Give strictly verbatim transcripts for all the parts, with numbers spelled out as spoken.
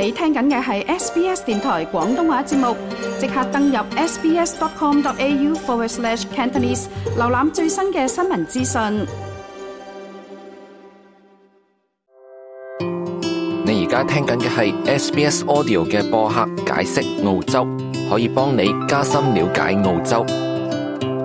你聽緊嘅係 S B S 電台廣東話節目，即刻登入 sbs.com.au forward slash Cantonese， 瀏覽最新嘅新聞資訊。你而家聽緊嘅係 S B S Audio 嘅播客解釋澳洲，可以幫你加深了解澳洲。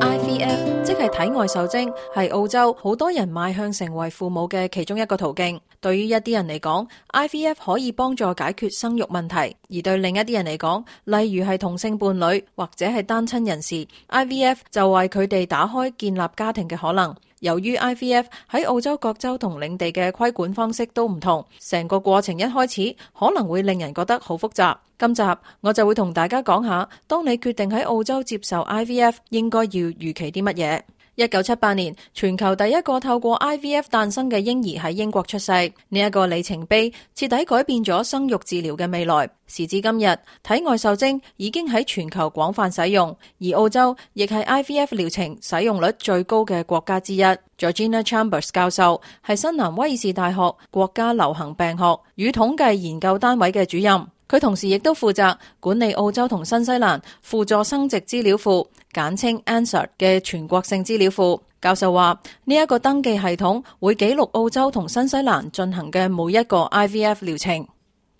I V F 即係體外受精，係澳洲好多人邁向成為父母嘅其中一個途徑。對於一啲人嚟講 ，I V F 可以幫助解決生育問題；而對另一啲人嚟講，例如係同性伴侶或者係單親人士 ，I V F 就為佢哋打開建立家庭嘅可能。由於 I V F 喺澳洲各州同領地嘅規管方式都唔同，成個過程一開始可能會令人覺得好複雜。今集我就會同大家講下，當你決定喺澳洲接受 I V F， 應該要預期啲乜嘢。一九七八年，全球第一個透過 I V F 誕生嘅嬰兒喺英國出世，呢一個里程碑徹底改變咗生育治療嘅未來。時至今日，體外受精已經喺全球廣泛使用，而澳洲亦係 I V F 療程使用率最高嘅國家之一。Georgina Chambers 教授係新南威爾士大學國家流行病學與統計研究單位嘅主任。佢同時亦都負責管理澳洲同新西蘭輔助生殖資料庫，簡稱 A N Z A R 嘅全國性資料庫。教授話呢一個登記系統會記錄澳洲同新西蘭進行嘅每一個 I V F 療程。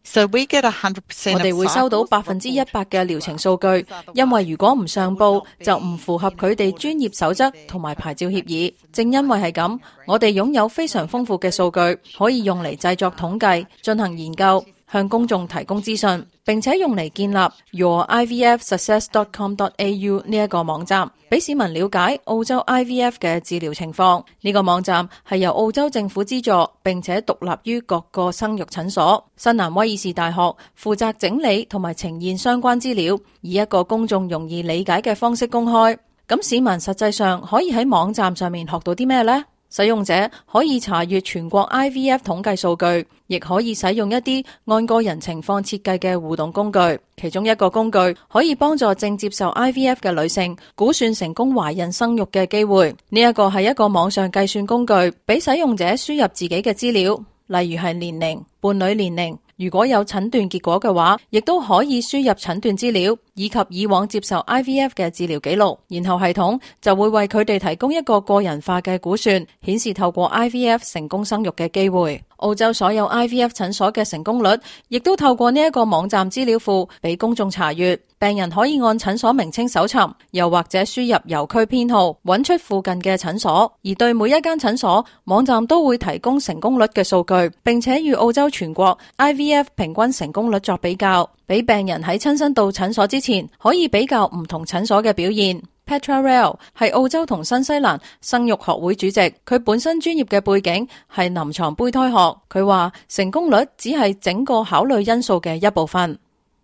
So we get one hundred percent 我哋會收到百分之一百嘅療程數據，因為如果唔上報，就唔符合佢哋專業守則同埋牌照協議。正因為係咁，我哋擁有非常豐富嘅數據，可以用嚟製作統計、進行研究、向公眾提供資訊，並且用嚟建立 your I V F success dot com dot A U 呢一個網站，俾市民了解澳洲 I V F 嘅治療情況。呢個網站係由澳洲政府資助，並且獨立於各個生育診所。新南威爾士大學負責整理同埋呈現相關資料，以一個公眾容易理解嘅方式公開。咁市民實際上可以喺網站上面學到啲咩呢？使用者可以查閱全國 I V F 統計數據，亦可以使用一啲按個人情況設計嘅互動工具。其中一個工具可以幫助正接受 I V F 嘅女性估算成功懷孕生育嘅機會。呢一個係一個網上計算工具，俾使用者輸入自己嘅資料，例如係年齡、伴侶年齡。如果有診斷結果嘅話，亦都可以輸入診斷資料，以及以往接受 I V F 嘅治療記錄，然後系統就會為佢哋提供一個個人化嘅估算，顯示透過 I V F 成功生育嘅機會。澳洲所有 I V F 診所嘅成功率，亦都透過呢一個網站資料庫俾公眾查閱。病人可以按診所名稱搜尋，又或者輸入郵區編號，揾出附近嘅診所。而對每一間診所，網站都會提供成功率嘅數據，並且與澳洲全國 I V F 平均成功率作比較，俾病人喺親身到診所之前，可以比較唔同診所嘅表現。Petra Rail 係澳洲同新西蘭生育學會主席，佢本身專業嘅背景係臨床胚胎學。佢話成功率只係整個考慮因素嘅一部分。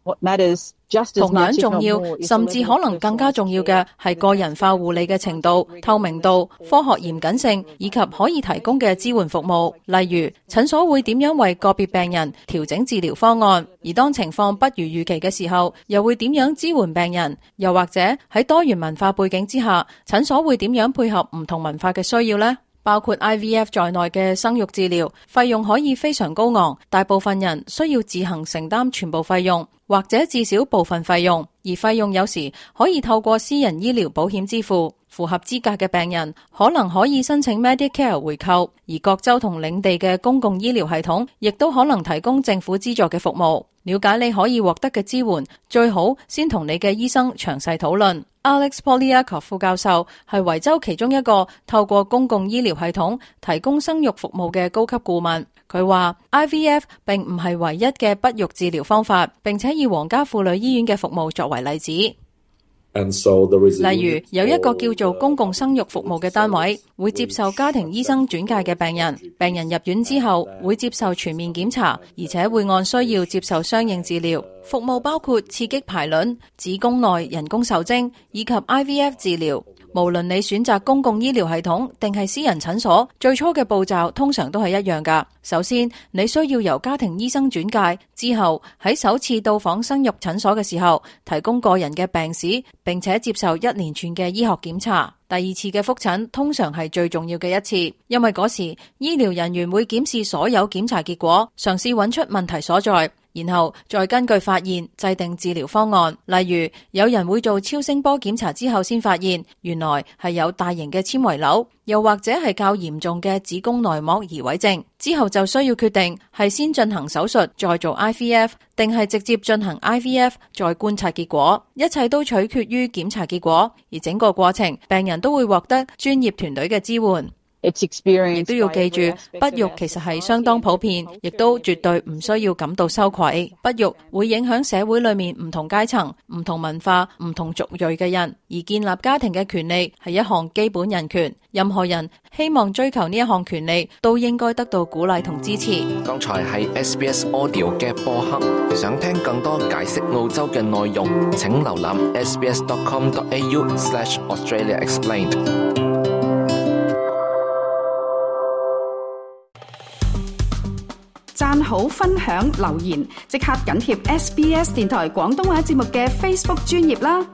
What matters同樣重要，甚至可能更加重要嘅係個人化護理嘅程度、透明度、科學嚴謹性以及可以提供嘅支援服務。例如，診所會點樣為個別病人調整治療方案，而當情況不如預期嘅時候，又會點樣支援病人？又或者喺多元文化背景之下，診所會點樣配合唔同文化嘅需要呢？包括 I V F 在內嘅生育治療，費用可以非常高昂，大部分人需要自行承擔全部費用，或者至少部分費用，而費用有時可以透過私人醫療保險支付。符合資格嘅病人可能可以申請 Medicare 回扣，而各州同領地嘅公共醫療系統亦都可能提供政府資助嘅服務。了解你可以獲得嘅支援，最好先同你嘅醫生詳細討論。Alex Poliakov 副教授係維州其中一個透過公共醫療系統提供生育服務嘅高級顧問。佢話 I V F 並唔係唯一嘅不育治療方法，並且以皇家婦女醫院嘅服務作為例子。So、例如有一個叫做公共生育服務嘅單位，會接受家庭醫生轉介嘅病人，病人入院之後會接受全面檢查，而且會按需要接受相應治療。服務包括刺激排卵、子宮內人工受精以及 I V F 治療。無論你選擇公共醫療系統定係私人診所，最初嘅步驟通常都係一樣㗎。首先，你需要由家庭醫生轉介，之後喺首次到訪生育診所嘅時候，提供個人嘅病史，並且接受一連串嘅醫學檢查。第二次嘅複診通常係最重要嘅一次，因為嗰時醫療人員會檢視所有檢查結果，嘗試揾出問題所在。然後再根據發現制定治療方案。例如，有人會做超聲波檢查之後先發現原來係有大型嘅纖維瘤，又或者係較嚴重嘅子宮內膜移位症，之後就需要決定係先進行手術再做 I V F， 定係直接進行 I V F 再觀察結果。一切都取決於檢查結果，而整個過程病人都會獲得專業團隊嘅支援。亦都要記住，不育其實係相當普遍，亦都絕對唔需要感到羞愧。不育會影響社會裏面唔同階層、唔同文化、唔同族裔嘅人，而建立家庭嘅權利係一項基本人權。任何人希望追求呢一項權利，都應該得到鼓勵同支持。剛才係 S B S Audio 嘅播客，想聽更多解釋澳洲嘅內容，請瀏覽 s b s dot com dot a u slash Australia Explained。讚好、分享、留言，即刻緊貼 S B S 電台廣東話節目嘅 Facebook 專頁啦！